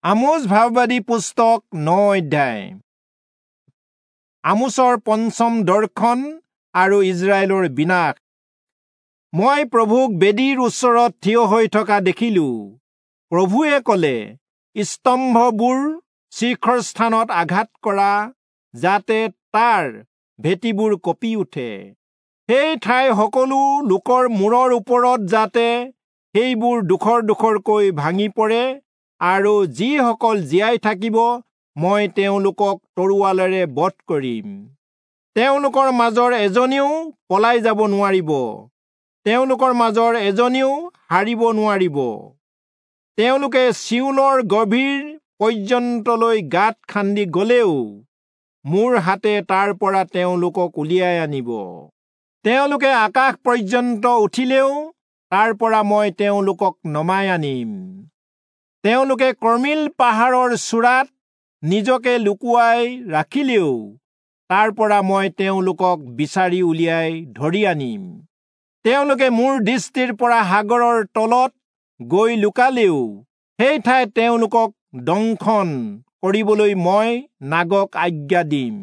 আমোচ ভাববাদী পুস্তক 9 অধ্যায়। আমোচৰ পঞ্চম দৰ্শন আৰু ইজৰাইলৰ বিনাশ। মই প্ৰভুক বেদীৰ ওচৰত থিয় হৈ থকা দেখিলো। প্ৰভুৱে কলে, স্তম্ভবোৰ শীৰ্ষস্থানত আঘাত কৰা, যাতে তাৰ ভেটিবোৰ কঁপি উঠে। সেই ঠাই সকলো লোকৰ মূৰৰ ওপৰত যাতে সেইবোৰ ডোখৰ ডোখৰকৈ ভাঙি পৰে, আৰু যিসকল জীয়াই থাকিব মই তেওঁলোকক তৰোৱালেৰে বধ কৰিম। তেওঁলোকৰ মাজৰ এজনেও পলাই যাব নোৱাৰিব, তেওঁলোকৰ মাজৰ এজনেও হাৰিব নোৱাৰিব। তেওঁলোকে চিউলৰ গভীৰ পৰ্যন্তলৈ গাঁত খান্দি গলেও মোৰ হাতে তাৰ পৰা তেওঁলোকক উলিয়াই আনিব। তেওঁলোকে আকাশ পৰ্যন্ত উঠিলেও তাৰ পৰা মই তেওঁলোকক নমাই আনিম। তেওঁলোকে কৰ্মিল পাহাৰৰ চূড়াত নিজকে লুকুৱাই ৰাখিলেও তাৰ পৰা মই তেওঁলোকক বিচাৰি উলিয়াই ধৰি আনিম। তেওঁলোকে মোৰ দৃষ্টিৰ পৰা সাগৰৰ তলত গৈ লুকালেও সেই ঠাইত তেওঁলোকক দংশন কৰিবলৈ মই নাগক আজ্ঞা দিম,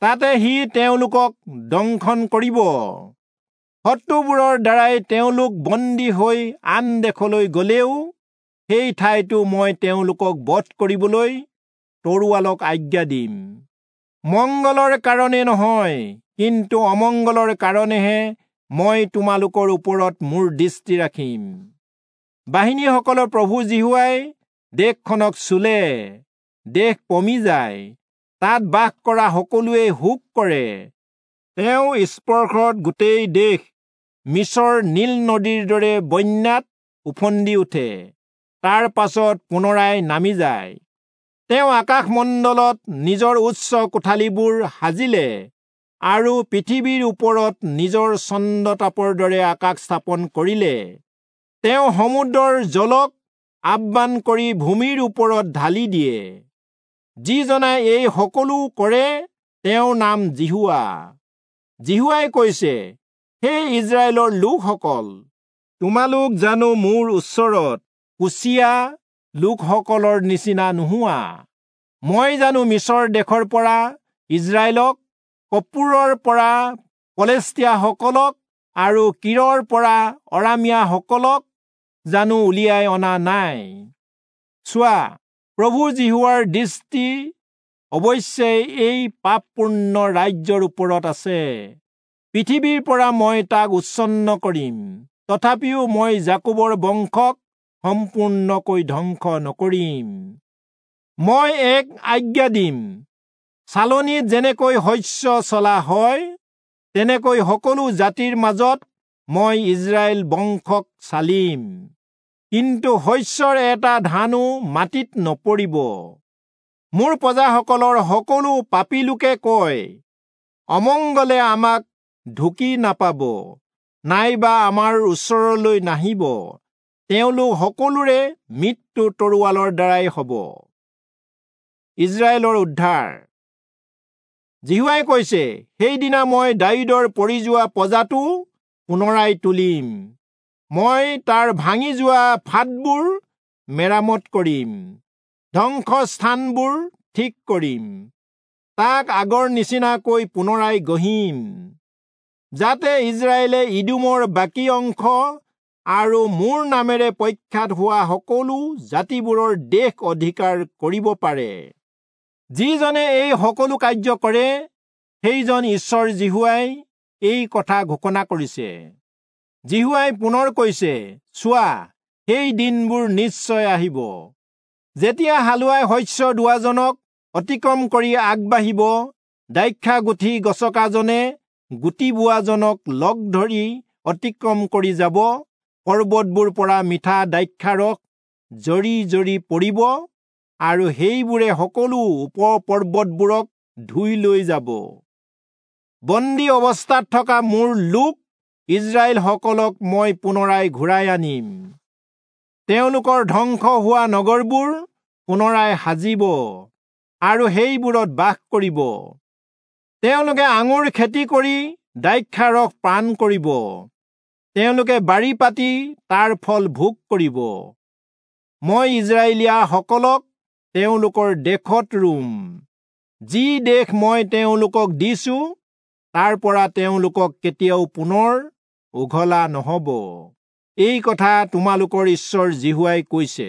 তাতে সি তেওঁলোকক দংশন কৰিব। শত্ৰুবোৰৰ দ্বাৰাই তেওঁলোক বন্দী হৈ আন দেশলৈ গলেও সেই ঠাইতো মই তেওঁলোকক বধ কৰিবলৈ তৰোৱালক আজ্ঞা দিম। মংগলৰ কাৰণে নহয়, কিন্তু অমংগলৰ কাৰণেহে মই তোমালোকৰ ওপৰত মোৰ দৃষ্টি ৰাখিম। বাহিনীসকলৰ প্ৰভু যিহোৱাই দেশখনক চুলে, দেশ পমি যায়, তাত বাস কৰা সকলোৱে শোক কৰে। তেওঁ স্পৰ্শত গোটেই দেশ মিছৰ নীল নদীৰ দৰে বন্যাত উফন্দি উঠে, তাৰ পাছত পুনৰাই নামি যায়। তেওঁ আকাশমণ্ডলত নিজৰ উচ্চ কোঠালিবোৰ সাজিলে আৰু পৃথিৱীৰ ওপৰত নিজৰ চন্দ্ৰতাপৰ দৰে আকাশ স্থাপন কৰিলে। তেওঁ সমুদ্ৰৰ জলক আহ্বান কৰি ভূমিৰ ওপৰত ঢালি দিয়ে। যিজনাই এই সকলো কৰে তেওঁৰ নাম যিহোৱা। যিহোৱাই কৈছে, হে ইজৰাইলৰ লোকসকল, তোমালোক জানো মোৰ ওচৰত কুচীয়া লোকসকলৰ নিচিনা নোহোৱা? মই জানো মিছৰ দেশৰ পৰা ইজৰাইলক, কপোৰৰ পৰা পলেষ্টীয়াসকলক আৰু কীৰৰ পৰা অৰামীয়াসকলক জানো উলিয়াই অনা নাই? চোৱা, প্ৰভু যিহোৱাৰ দৃষ্টি অৱশ্যে এই পাপপূৰ্ণ ৰাজ্যৰ ওপৰত আছে। পৃথিৱীৰ পৰা মই তাক উচ্ছন্ন কৰিম, তথাপিও মই যাকোবৰ বংশক সম্পূৰ্ণকৈ ধ্বংস নকৰিম। মই এক আজ্ঞা দিম, চালনীত যেনেকৈ শস্য চলা হয়, তেনেকৈ সকলো জাতিৰ মাজত মই ইজৰাইল বংশক চালিম। কিন্তু শস্যৰ এটা ধানো মাটিত নপৰিব। মোৰ প্ৰজাসকলৰ সকলো পাপী লোকে কয়, অমংগলে আমাক ঢুকি নাপাব, নাইবা আমাৰ ওচৰলৈ নাহিব। তেওঁলোক সকলোৰে মৃত্যু তৰোৱালৰ দ্বাৰাই হ'ব। ইজৰাইলৰ উদ্ধাৰ। যিহোৱাই কৈছে, সেইদিনা মই দায়ূদৰ পৰি যোৱা পজাটো পুনৰাই তুলিম, মই তাৰ ভাঙি যোৱা ফাটবোৰ মেৰামত কৰিম, ধ্বংসস্থানবোৰ ঠিক কৰিম, তাক আগৰ নিচিনাকৈ পুনৰাই গঢ়িম, যাতে ইজৰাইলে ইদোমৰ বাকী অংশ আৰু মোৰ নামেৰে প্ৰখ্যাত হোৱা সকলো জাতিবোৰৰ দেশ অধিকাৰ কৰিব পাৰে। যিজনে এই সকলো কাৰ্য কৰে, সেইজন ঈশ্বৰ যিহোৱাই এই কথা ঘোষণা কৰিছে। যিহোৱাই পুনৰ কৈছে, চোৱা, সেই দিনবোৰ নিশ্চয় আহিব, যেতিয়া হালোৱাই শস্য দোৱাজনক অতিক্ৰম কৰি আগবাঢ়িব, দ্ৰাক্ষা গুঠি গছকাজনে গুটি বোৱাজনক লগ ধৰি অতিক্ৰম কৰি যাব, পৰ্বতবোৰ পৰা মিঠা দ্ৰাক্ষাৰস জৰি জৰি পৰিব, আৰু সেইবোৰে সকলো উপপৰ্বতবোৰক ধুই লৈ যাব। বন্দী অৱস্থাত থকা মোৰ লোক ইজৰাইলসকলক মই পুনৰাই ঘূৰাই আনিম। তেওঁলোকৰ ধ্বংস হোৱা নগৰবোৰ পুনৰাই সাজিব আৰু সেইবোৰত বাস কৰিব। তেওঁলোকে আঙুৰ খেতি কৰি দ্ৰাক্ষাৰস পান কৰিব, তেওঁলোকে বাৰী পাতি তাৰ ফল ভোগ কৰিব। মই ইজৰাইলীয়াসকলক তেওঁলোকৰ দেশত ৰুম। যি দেশ মই তেওঁলোকক দিছো, তাৰ পৰা তেওঁলোকক কেতিয়াও পুনৰ উঘলা নহব। এই কথা তোমালোকৰ ঈশ্বৰ যিহোৱাই কৈছে।